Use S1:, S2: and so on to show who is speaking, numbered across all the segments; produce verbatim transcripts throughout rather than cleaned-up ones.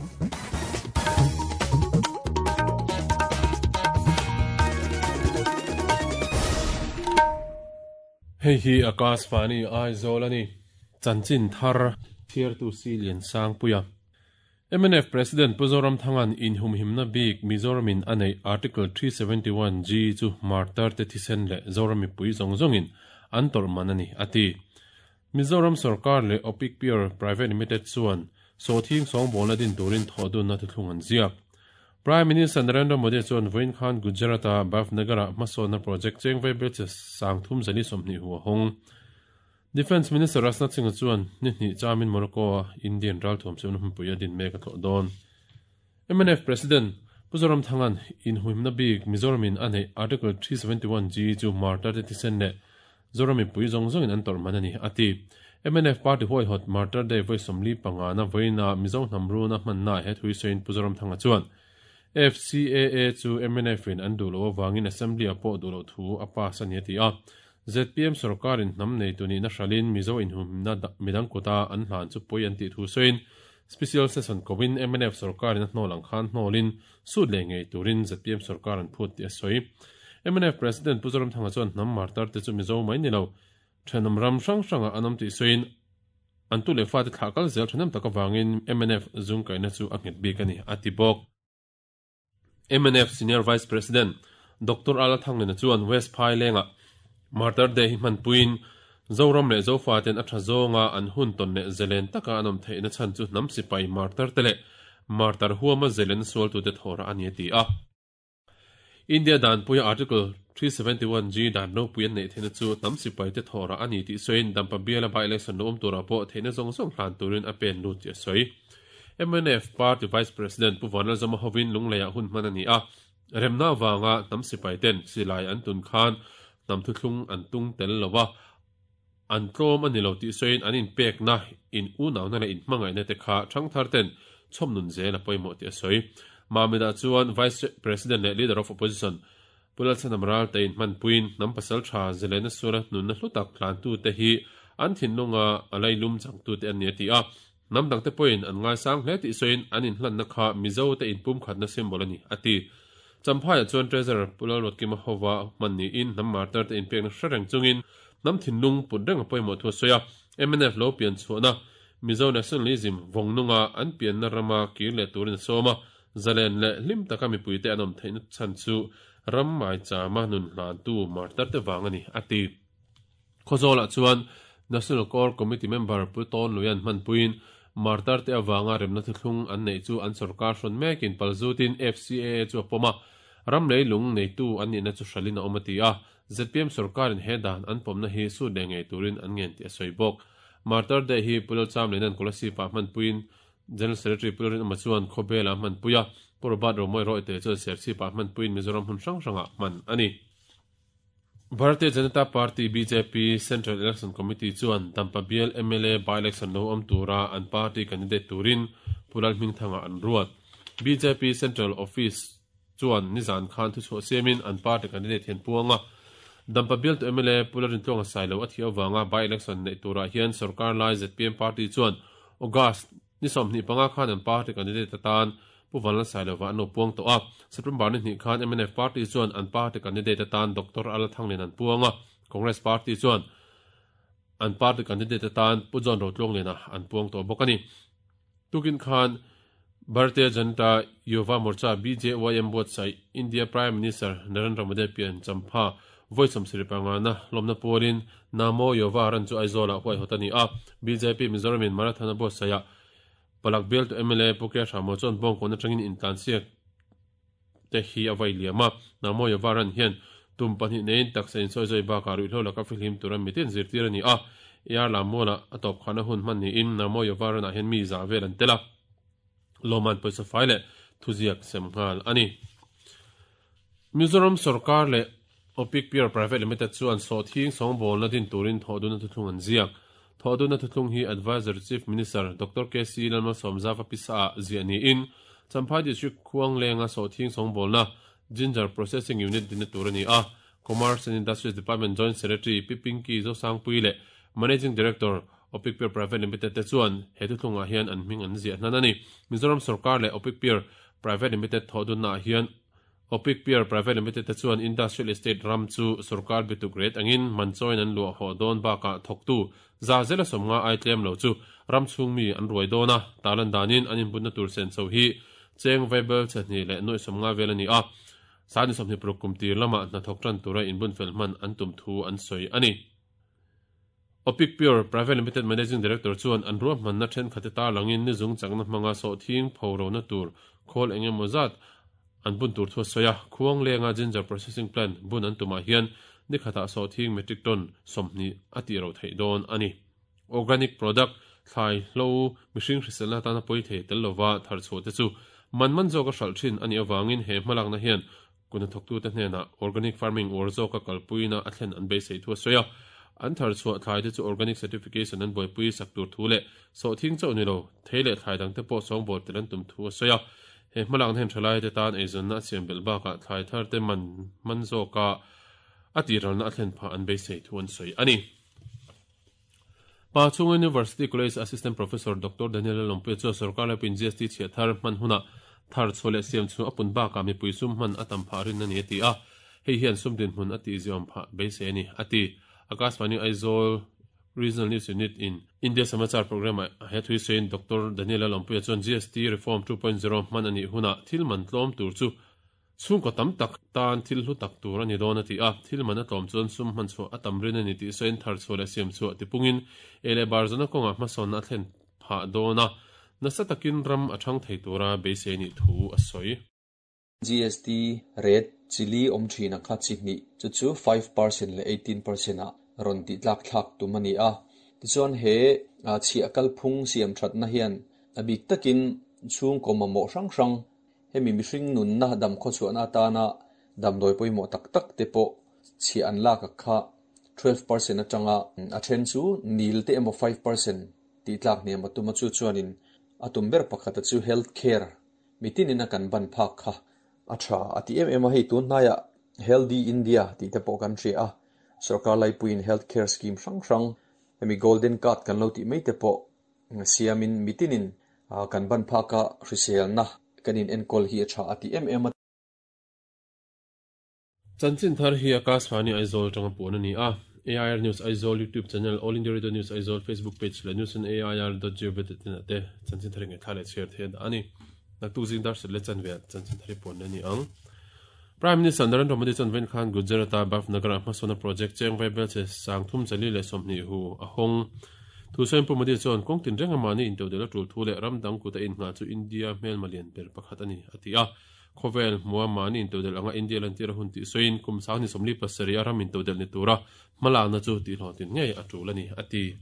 S1: Hei hi Akashvani Aizawl ani chanchin thar thiartu si lian sang puia M N F President Pu Zoramthangan in humhimna bik Mizoramin anei Article three seventy-one G chu martar te thisen le Zorami pui zong zongin an tor manani ati Mizoram Sarkar le Opic Pure Private Limited chuan sothing song bolna din turin thodun na thlung an ziak Prime Minister Narendra Modi chuan Vain Khan Gujarata Bhavnagara Masona project chengvei bel sangthum zani somni huwa hong Defense Minister Rajnath Singh chuan ni hni chamin Morocco Indian ral thom sem hum puia din mek tho don M N F President Pu Zoramthangan in huimna bik Mizoramin anei Article three seventy-one G chu martar te thisen le Zorami pui zong zongin an tor manani ati M N F Party hoi hot Martyr Day voi somli panga na voina Mizo hnamru na hmanna he thui sein Pu Zoramthanga chuan F C A A chu M N F in an dulo wangin assembly apo dulo thu apa sani ti a Z P M sarkarin nam nei tuni na shalin Mizo in hum na midang kota an hlan chu poi an ti thu soin special session kowin M N F sarkarin hnolang khan hnolin sut le ngei turin Z P M sarkar an phut ti soi M N F President Pu Zoramthanga chuan nam martar te chu Mizo mai ni lo thanam ram sang sanga anam ti soin an tu le fa te thakal zel thanam taka wangin M N F zung kaina chu a nget bik ani ati bok M N F Senior Vice President Doctor Ala Thanglena chuan West Phai lenga Martyr Day hi man puin Zoram le Zofa ten atha zonga an hun ton le zelen taka anom theina chan chu nam sipai martyr tele martyr huama zelen sol tu te thora ani ti a India dan puya Article three seventy-one G dan no puyan nei theina chu nam sipai te thora ani ti soin dampa biala by election nom tura po theina zong zong hlan turin a pen lu ti soi M N F Party Vice President Pu Vanlal Zama hovin lungleia hun manani a remna wanga nam sipai ten silai an tun khan nam thu thlung an tung tel lowa an tlom ani lo ti soin an in pek na in u naw na le in hmangai na te kha thang thar ten chhom nun zel a pawimawh ti a sawi Mamida chuan Vice President le Leader of Opposition Pulal Sanamral te in hman puin nam pasal tha zelena sura nun na hlutak hlan tu te hi an thinlunga alai lum chang tu te an ni ti a nam dang te point an ngai sang hle ti soin an in hlan na kha Mizo te in pum khat na symbol ani ati Champhai chuan Treasurer Pulal Rotkima Howa manni in nam martar te in pek na hrereng chungin nam thinlung put reng a pawimawh thu soya M N F lo pian chhuahna Mizo nationalism vongnunga an pian na rama kir le turin soma zalen le hlim taka mipui te anom theina chan chu ram mai chama nun hlan tu martar te wangani ati Khawzawlah chuan National Core Committee member Pu Ton Luyan hman puin martar te awanga remna thuthlung an nei chu an sarkar hrawn mekin palzutin F C A A chu a pawma ram lei lung nei tu an nihna chu hralin a awm a ti a Z P M sarkarin he dan an pawmna hi su le ngei turin an ngen ti a sawi bawk Martyr Day hi Pulal Cham leinan Kolasib-ah hman puin General Secretary Pularin ama chuan Khawbel-ah hman puia Purbat Romoi Roy te chuan Serchhip-ah hman puin Mizoram hun hrang hrangah hman ani Bharatiya Janata Party B J P Central Election Committee chuan Dampa Bial M L A by-election lo awm tura an party candidate turin Pulal Hmingthanga an ruat B J P Central Office chuan nizan khan thu chhuah siamin an party candidate hian puanga Dampa Bial to M L A Pularin tlawng a sailo a thi awanga by-election nei turah hian sarkar lai Z P M party chuan August ni sawmhnih panga khan an party candidate atan Pu Vanlal Sailova an lo puang tawh a September ni hnih khan M N F party chuan an party candidate atan Doctor Ala Thanglin an puanga Congress party chuan an party candidate atan Pu John Rotlonglena an puang tawh bawk ani tukin khan Bharatiya Janata Yuva Morcha B J Y M buatsaih India Prime Minister Narendra Modi pian champha voi sawmsarih panga na lawmna pualin Namo Yuva ran chu Aizawlah huai hawt ani a B J P Mizoramin marathon a buatsaihah Palak Bial to M L A Pukya Hramo chuan bawngkawn atangin intlansiak te hi a vai liam a Namo Yuva ran hian tum pahnih neiin taksa in sawi zawi bakah ruihhlo laka fihlim tura mitin zirtir ani a ar lammualah a tawp khana hun hman niin Namo Yuva ranah hian mi za vel an tel a Loman pawisa fai le thuziak sem nghal ani Mizoram Sarkar le Opic Pure Private Limited chuan sawthing sawngbawl na din turin thawhdun a thuthlung an ziak thawhdun a thuthlung hi Advisor Chief Minister Doctor K C Lalmalsawmzava pisa ah ziah niin Champhai District Khuang lenga sawthing sawngbawl na Ginger Processing Unit din na tur ani a Commerce and Industries Department Joint Secretary P Pinky Zosangpui le Managing Director Opic Pure Private Limited te chuan he thuthlungah hian an hming an ziah hnan a ni. Mizoram sorkar leh Opic Pure Private Limited thawh dunnaah hian Opic Pure Private Limited te chuan Industrial Estate ram chu sorkar bituk ret angin man chawiin an luah hawh dawn bakah thawktu za zela sawmnga ai tlem lo chu ram chhung mi an ruai dawn a, tarlan danin an inbunna tur sen chho hi cheng vaibel chhehnih leh nuaih sawmnga vel a ni a, sani sawmhnih paruk kum tir lamah hnathawk tan tura inbun fel hman an tum thu an sawi a ni. Opic Pure Private Limited Managing Director chuan an ruahmanna thenkhat te tarlangin nizung chakna hmanga sawhthing pho rona tur khawl eng emaw zat an bun tur thu a sawi a, khuang lenga ginger processing plant bun an tumah hian ni khatah sawhthing metric ton sawmhnih a tih ro theih dawn a ni. Organic product thlai hlo mihring hriselna atana pawi thei tel lova thar chhuah te chu man man zawka hralh thin a nih avangin he hmalakna hian kuna thawktute hnenah organic farming uar zawka kalpuina a thlen an beisei thu a sawi a, an thar chhuah thlai te chu organic certification an buaipui sak tur thu leh sawhthing chauh ni lo thei leh thlai dang te pawh sawngbawl tel an tum thu a sawi a, he hmalakna hian thalai te tan eizawnna a siam belh bakah thlai thar te man man zawka a tiralna a thlen phah an beisei thu an sawi a ni. Pachhung University College Assistant Professor Doctor Daniel Lalawmpuia chuan sorkar laipui G S T chhiah thar hman hunah thar chhuah leh siam chu a pun bakah mipui sum hman a tam phah rin a ni a ti a, hei hian sum dinhmun a tihziawm phah beisei a ni a ti. Akashvani Aizawl Regional News Unit in India Samachar program ah he thui sawiin Doctor Daniel Lalawmpuia chuan G S T Reform two point zero hman a nih hunah thil man tlawm tur chu chhungkaw tam tak tan thil hlu tak tur a ni dawn a ti a, thil man a tlawm chuan sum hman chhuah a tam rin a ni tih sawiin thar chhuah leh siam chhuah tipungin ei leh bar zawna kawngah hmasawnna a thlen phah dawn a, nasa takin ram a thang thei tura beisei nih thu a sawi.
S2: G S T rate chili awm thina kha chi hnih chu chu five percent leh eighteen percent ah rawn tih tlak thlak tum a ni a, tichuan he chhiah kalphung siam thatna hian a bik takin chhungkaw mamawh hrang hrang hemi mihring nunna dam khaw chhuahna atana damdawi pawimawh tak tak te pawh chhiah an lak a kha twelve percent atanga a then chu nil te emaw five percent tih tlak hniam a tum a chu chuanin a tum ber pakhat a chu health care mitinin a kan ban phak kha a tha a ti em em a, hei tun hnaiah Healthy India tih te pawh kan hria a, sarkar laipuiin health care scheme hrang hrang hemi golden card kan lo tih mai te pawh siamin mitinin kan ban phaka hriselna kanin enkawl hi a tha a ti em em a.
S1: Chanchin thar hi Akashvani Aizawl tanga puan a ni a, A I R News Aizawl YouTube channel, All India Radio News Aizawl Facebook page leh news on A I R dot gov dot in ah te chanchin thar nge thla leh chhiar thei a ni. Naktuk zing dar sat leh chanve ah chanchin thar hi puan a ni ang. Prime Minister Narendra Modi chuan vawiin khan Gujarat-a Bhavnagar-ah hmasawnna project cheng vaibel che sangthum chali leh sawmhnih hu a hawng. Thu sawiin Pu Modi chuan kawng tin reng amah ni intodel a tul thu leh ram dang kut a innghah chu India hmelma lian ber pakhat a ni a ti a. Khawvel hmua mahni intodel anga India lantir a hun tih sawiin kum sang ni sawmli pasarih a ram intodel ni tura hmalakna chu tihhlawhtlin ngei a tul a ni a ti.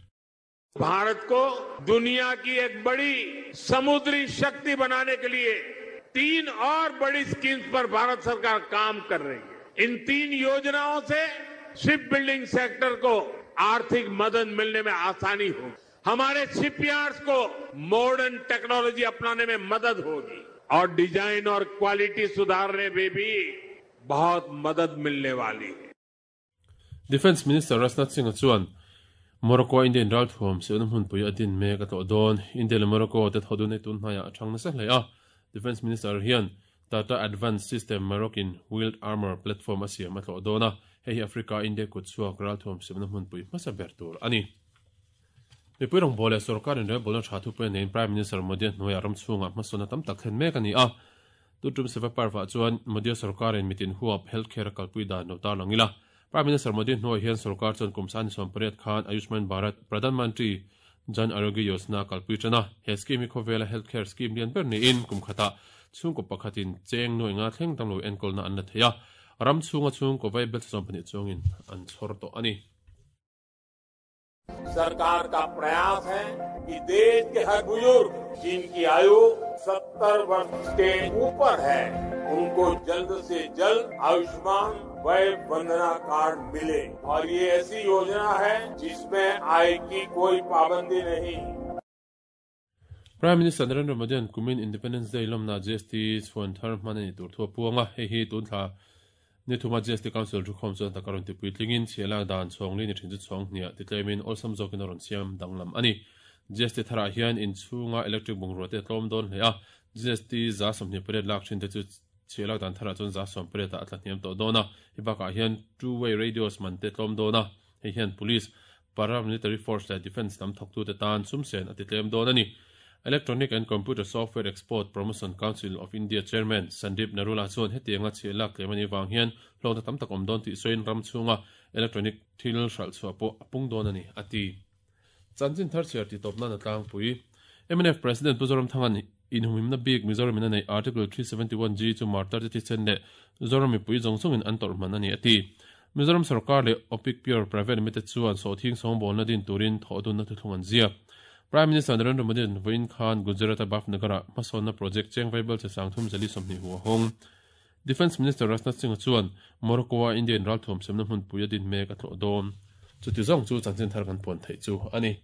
S3: Bharat को दुनिया की एक बड़ी समुद्री शक्ति बनाने के लिए तीन और बड़ी स्कीम्स पर भारत सरकार काम कर रही है। इन तीन योजनाओं से ship building sector को आर्थिक मदद मिलने में आसानी होगी, हमारे शिपयार्ड्स को मॉडर्न टेक्नोलॉजी अपनाने में मदद होगी और डिजाइन और क्वालिटी सुधारने में भी बहुत मदद मिलने वाली है।
S1: Defence Minister Rajnath Singh chuan Morocco Indian ral thuam siona hmunpui a din mek a tlawh dawn. India leh Morocco te thawh nei tun hnaiah a thang nasa hle a. Defence Minister hian Tata Advanced System Moroccan Wheeled Armor Platform a siam a tlawh dawn a, hei hi Africa India kut chhuak ral thuam siamna hmunpui hmasa ber tur a ni. Mipui rawngbâwl leh sorkarin relbawlna tha thupui neiin Prime Minister Modi a hnuaiah ram chhungah hmasawnna tam tak thlen mek a ni a. Tutum seva parvah chuan Modi sorkarin mitin huap healthcare a kalpui dan lo tarlang ila. Prime Minister Modi hnuai hian sarkar chuan kum sani sawm pariat khan Ayushman Bharat Pradhan Mantri Jan Arogya Yojana kalpui tana. He scheme hi khawvela healthcare scheme lian ber niin kum khata chhungkaw pakhatin cheng nuai nga thleng damlo enkawlna an la thei a, ram chhunga chhungkaw vaibel sawm pahnih chuangin an chhawr tawh a ni.
S3: सरकार का प्रयास है कि देश के हर बुजुर्ग जिनकी आयु सत्तर वर्ष के ऊपर है उनको जल्द से जल्द आयुष्मान वय वंदना कार्ड मिले और ये ऐसी योजना है जिसमें आय की कोई पाबंदी नहीं।
S1: Prime Minister Narendra Modi an kumin Independence Day lomna G S T chhuan thar hman ani tur thu a puanga, hei hi tun thla Ni thuma G S T Council thukhawm chuan taka rawn tipui tlingin chhiah dan chhawng li ni thin chu chhawng hniah titlemin awlsam zawkin a rawn siam danglam a ni. G S T tharah hian inchhunga electric bungrua te tlawm dawn hle a, G S T za sawmhnih pariat lak thin te chu chhiah dan tharah chuan za sawm pariat ah a tla hniam tawh dawn a. Hei bakah hian two way radios man te tlawm dawn a, hei hian police, paramilitary force leh defence lam thawktu te tan sumsen a titlem dawn a ni. Electronic and Computer Software Export Promotion Council of India Chairman Sandeep Narula chuan hetianga chhiah lak tlem ani wang hian hlawkna tam tak awm dawn tih sawiin ram chhunga electronic thil hralh chhuah pawh a pung dawn a ni a ti. Chanchin thar chhiar ti tawp nan a tlangpui. M N F President Pu Zoramthanga'n inhumhimna bik Mizoram in a nei Article three seventy-one G chu martar te thisen leh Zoram mipui zawng zawngin an tawrh hman a ni a ti. Mizoram sarkar leh Opic Pure Private Limited chuan sawhthing sawngbawlna din turin thawhdunna thuthlung an ziak. Prime Minister Narendra Modi an vawiin khan Gujarat-a Bhavnagar-ah hmasawnna project cheng vaibel che sangthum zali sawmhnih hu a hawng. Defence Minister Rajnath Singh chuan Morocco-a Indian ralthuam semna hmunpui a din mek a tlawh dawn. Chuti zawng chu chanchin thar kan puan theih chu a ni.